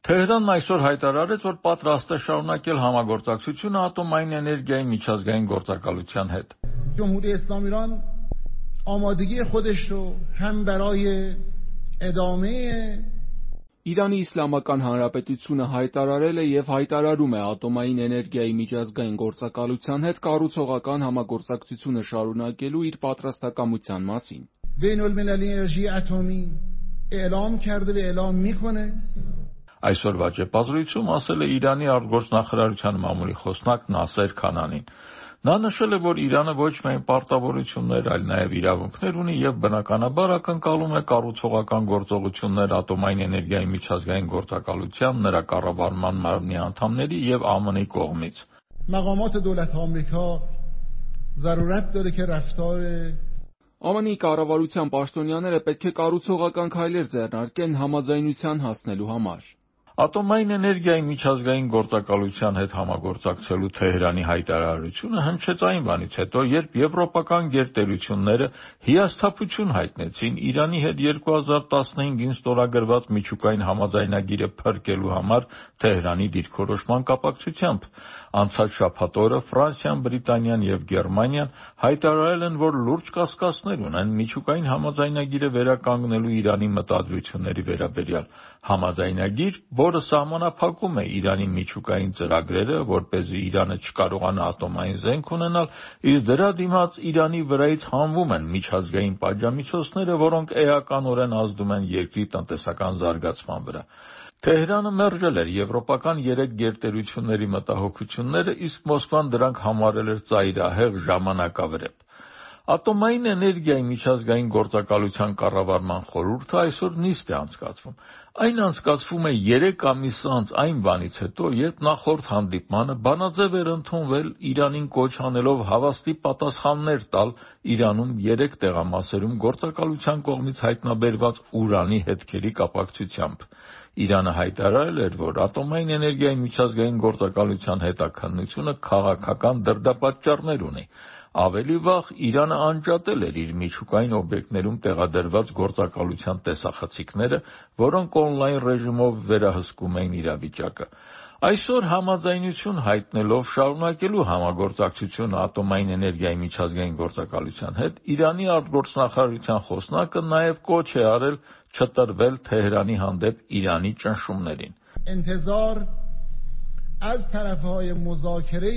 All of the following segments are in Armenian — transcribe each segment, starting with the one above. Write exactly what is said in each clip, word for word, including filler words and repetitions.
Թեհրանն այսօր հայտարարեց, որ պատրաստ է շարունակել համագործակցությունը ատոմային էներգիայի միջազգային գործակալության հետ։ جمهوری اسلامی ایران آمادگی خودش رو هم برای ادامه Իրանի Իսլամական Հանրապետությունը հայտարարել է եւ հայտարարում է ատոմային էներգիայի միջազգային գործակալության հետ կառուցողական համագործակցությունը շարունակելու իր պատրաստակամության մասին։ بین المللی انرژی اتمی اعلام کرده و اعلام میکنه Այսօրվա ճեպազրույցում ասել է Իրանի արտգործնախարարության մամուլի խոսնակ Նասեր Քանանին։ Նա նշել է, որ Իրանը ոչ միայն պարտավորություններ, այլ նաև իրավունքներ ունի եւ բնականաբար ակնկալում է կառուցողական գործողություններ ատոմային էներգիայի միջազգային գործակալության, նրա կառավարման մարմնի անդամների եւ ԱՄՆ-ի կողմից։ مقامات دولت آمریکا ضرورت داره که رفتار ԱՄՆ-ի կառավարության պաշտոնյաները պետք է կառուցողական քայլեր ձեռնարկեն համաձայնության հասնելու համար։ Ատոմային էներգիայի միջազգային գործակալության հետ համագործակցելու Թեհրանի հայտարարությունը հնչեց այն բանից հետո, երբ եվրոպական գերտերությունները հիասթափություն հայտնեցին Իրանի հետ երկու հազար տասնհինգին ստորագրված միջուկային համաձայնագիրը փրկելու համար Թեհրանի դիրքորոշման կապակցությամբ։ Անցած շաբաթ օրը Ֆրանսիան, Բրիտանիան եւ Գերմանիան հայտարարել են, որ լուրջ կասկածներ ունեն միջուկային համաձայնագիրը վերականգնելու Իրանի մտադրությունների վերաբերյալ։ Համաձայնագիր, որը սահմանափակում է Իրանի միջուկային ծրագրերը, որպեսզի Իրանը չկարողանա ատոմային զենք ունենալ, իսկ դրա դիմաց Իրանի վրայից հանվում են միջազգային պատժամիջոցները, որոնք էականորեն ազդում են երկրի տնտեսական զարգացման վրա։ Թեհրանը մերժել էր եվրոպական երեք գերտերությունների մտահոգությունները, իսկ Մոսկվան դրանք համարել էր ծայրահեղ ժամանակավրեպ։ Ատոմային էներգիայի միջազգային գործակալության կառավարման խորհուրդը այսօր նիստ է անցկացվում։ Այն անցկացվում է երեք ամիս անց այն բանից հետո, երբ նախորդ հանդիպմանը բանաձև էր ընդունվել Իրանին կոչ անելով հավաստի պատասխաններ տալ Իրանում երեք տեղամասերում գործակալության կողմից հայտնաբերված ուրանի հետքերի կապակցությամբ։ Իրանը հայտարարել էր, որ ատոմային էներգիայի միջազգային գործակալության հետաքննությունը քաղաքական դրդապատճառներ ունի։ Ավելի վաղ Իրանը անջատել էր իր միջուկային օբյեկտներում տեղադրված գործակալության տեսախցիկները, որոնք օնլայն ռեժիմով վերահսկում էին իրավիճակը։ Այսօր համաձայնություն հայտնելով շարունակելու համագործակցությունը ատոմային էներգիայի միջազգային գործակալության հետ, Իրանի արտգործնախարարության խոսնակը նաև կոչ է արել չտրվել Թեհրանի հանդեպ Իրանի ճնշումներին։ انتظار از طرفهای مذاکره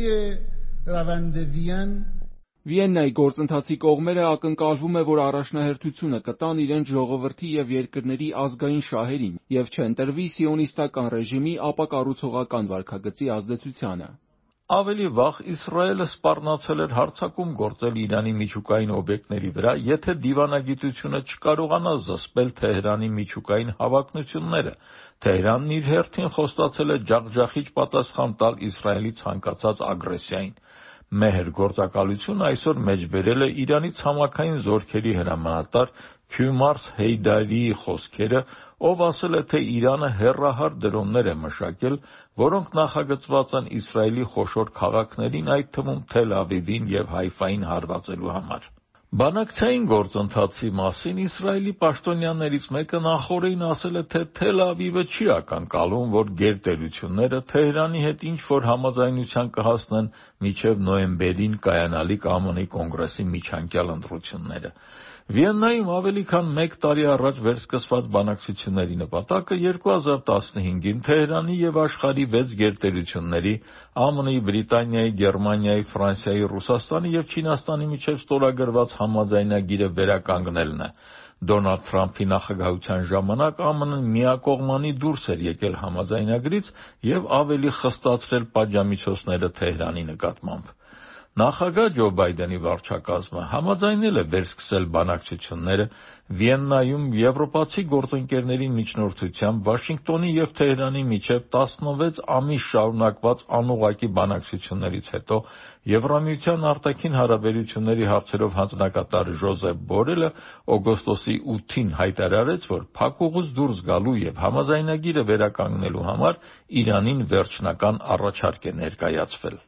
روند وین Վիեննայի գործընթացի կողմերը ակնկալվում է, որ առաջնահերթությունը կտան իրենց ժողովրդի եւ երկրների ազգային շահերին եւ չընտրվի սիոնիստական ռեժիմի ապակառուցողական վարքագծի ազդեցությանը։ Ավելի վաղ Իսրայելը սպառնացել էր հարձակում գործել Իրանի միջուկային օբյեկտների վրա, եթե դիվանագիտությունը չկարողանա զսպել Թեհրանի միջուկային հավակնությունները։ Թեհրանն իր հերթին խոստացել է ջախջախիչ պատասխան տալ Իսրայելի ցանկացած ագրեսիային։ Մեհր գործակալությունը այսօր մեջբերել է Իրանի ցամաքային զորքերի հրամանատար Քյումարս Հեյդարիի խոսքերը, ով ասել է, թե Իրանը հեռահար դրոններ է մշակել, որոնք նախագծված են Իսրայելի խոշոր քաղաքներին, այդ թվում Թել Ավիվին եւ Հայֆային հարվածելու համար։ Բանակցային գործընթացի մասին Իսրայելի պաշտոնյաներից մեկը նախօրեին ասել է, թե Թել Ավիվը չի ակնկալում, որ գերտերությունները Թեհրանի հետ ինչ-որ համաձայնության կհասնեն մինչև նոյեմբերին կայանալիք ԱՄՆ-ի կոնգրեսի միջանկյալ ընտրությունները։ Վիեննայում ավելի քան մեկ տարի առաջ վերսկսված բանակցությունների նպատակը երկու հազար տասնհինգին Թեհրանի եւ աշխարհի վեց գերտերությունների ԱՄՆ-ի, Բրիտանիայի, Գերմանիայի, Ֆրանսիայի, Ռուսաստանի եւ Չինաստանի միջև ստորագրված համաձայնագիրը վերականգնելն է։ Դոնալդ Թրամփի նախագահության ժամանակ ԱՄՆ-ն միակողմանի դուրս էր եկել համաձայնագրից եւ ավելի խստացրել պատժամիջոցները Թեհրանի նկատմամբ։ Նախագահ Ջո Բայդենի վարչակազմը համաձայնել է վերսկսել բանակցությունները Վիեննայում եվրոպացի գործընկերների միջնորդությամբ Վաշինգտոնի եւ Թեհրանի միջև տասնվեց ամիս շարունակված անուղղակի բանակցություններից հետո Եվրամիության արտաքին հարաբերությունների հարցերով հանձնակատար Ժոզեփ Բորելը օգոստոսի ութին հայտարարեց, որ փակուղուց դուրս գալու եւ համաձայնագիրը վերականգնելու համար Իրանին վերջնական առաջարկ է ներկայացվել։